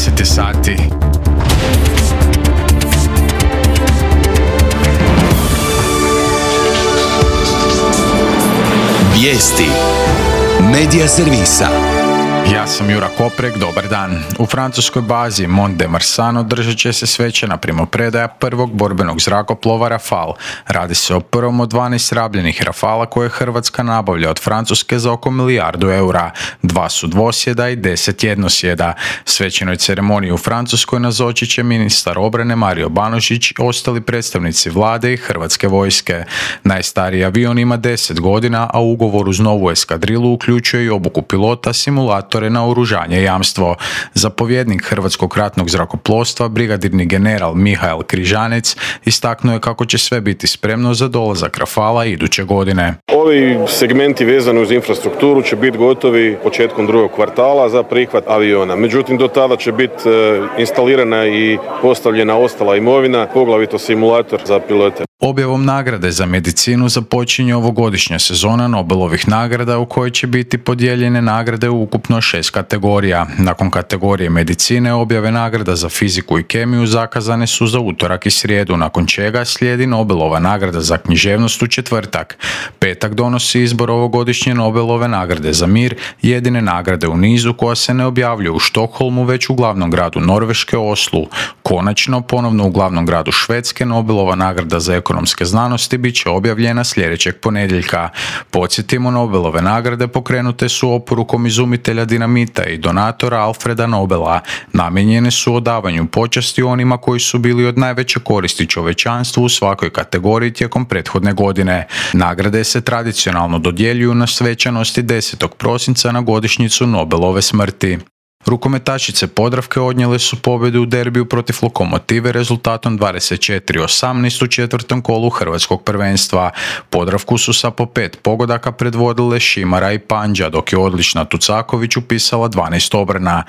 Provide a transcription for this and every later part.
10 je sati. Vijesti Medija servisa. Ja sam Jura Koprek, dobar dan. U francuskoj bazi Mont de Marsan održat će se svečana primopredaja prvog borbenog zrakoplova Rafale. Radi se o prvom od 12 rabljenih Rafala koje Hrvatska nabavlja od Francuske za oko 1 milijardu eura. 2 su dvosjeda i 10 jednosjeda. Svečanoj ceremoniji u Francuskoj nazočit će ministar obrane Mario Banožić i ostali predstavnici vlade i Hrvatske vojske. Najstariji avion ima 10 godina, a ugovor uz novu eskadrilu uključuje i obuku pilota, simulatore, naoružanje i jamstvo. Zapovjednik Hrvatskog ratnog zrakoplovstva, brigadirni general Mihael Križanec, istaknuo je kako će sve biti spremno za dolazak Rafala iduće godine. Ovi segmenti vezani uz infrastrukturu će biti gotovi početkom drugog kvartala za prihvat aviona. Međutim, do tada će biti instalirana i postavljena ostala imovina, poglavito simulator za pilote. Objavom nagrade za medicinu započinje ovogodišnja sezona Nobelovih nagrada u kojoj će biti podijeljene nagrade u ukupno 6 kategorija. Nakon kategorije medicine objave nagrada za fiziku i kemiju zakazane su za utorak i srijedu, nakon čega slijedi Nobelova nagrada za književnost u četvrtak. Petak donosi izbor ovogodišnje Nobelove nagrade za mir, jedine nagrade u nizu koja se ne objavljuje u Štokholmu već u glavnom gradu Norveške, Oslu. Konačno, ponovno u glavnom gradu Švedske, Nobelova nagrada za ekonomske znanosti bit će objavljena sljedećeg ponedjeljka. Podsjetimo, Nobelove nagrade pokrenute su oporukom izumitelja dinamita i donatora Alfreda Nobela. Namijenjene su odavanju počasti onima koji su bili od najveće koristi čovječanstvu u svakoj kategoriji tijekom prethodne godine. Nagrade se tradicionalno dodjeljuju na svečanosti 10. prosinca na godišnjicu Nobelove smrti. Rukometašice Podravke odnijele su pobjedu u derbiju protiv Lokomotive rezultatom 24-18 u četvrtom kolu hrvatskog prvenstva. Podravku su sa po 5 pogodaka predvodile Šimara i Pandža, dok je odlična Tucaković upisala 12 obrana.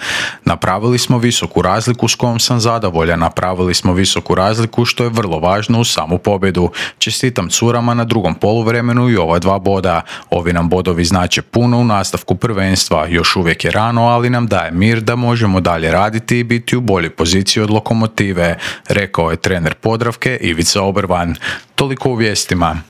Napravili smo visoku razliku s kojom sam zadovoljan, napravili smo visoku razliku što je vrlo važno u samu pobjedu. Čestitam curama na drugom poluvremenu i ova 2 boda. Ovi nam bodovi znače puno u nastavku prvenstva, još uvijek je rano, ali nam daje mir da možemo dalje raditi i biti u boljoj poziciji od Lokomotive, rekao je trener Podravke Ivica Obervan. Toliko u vijestima.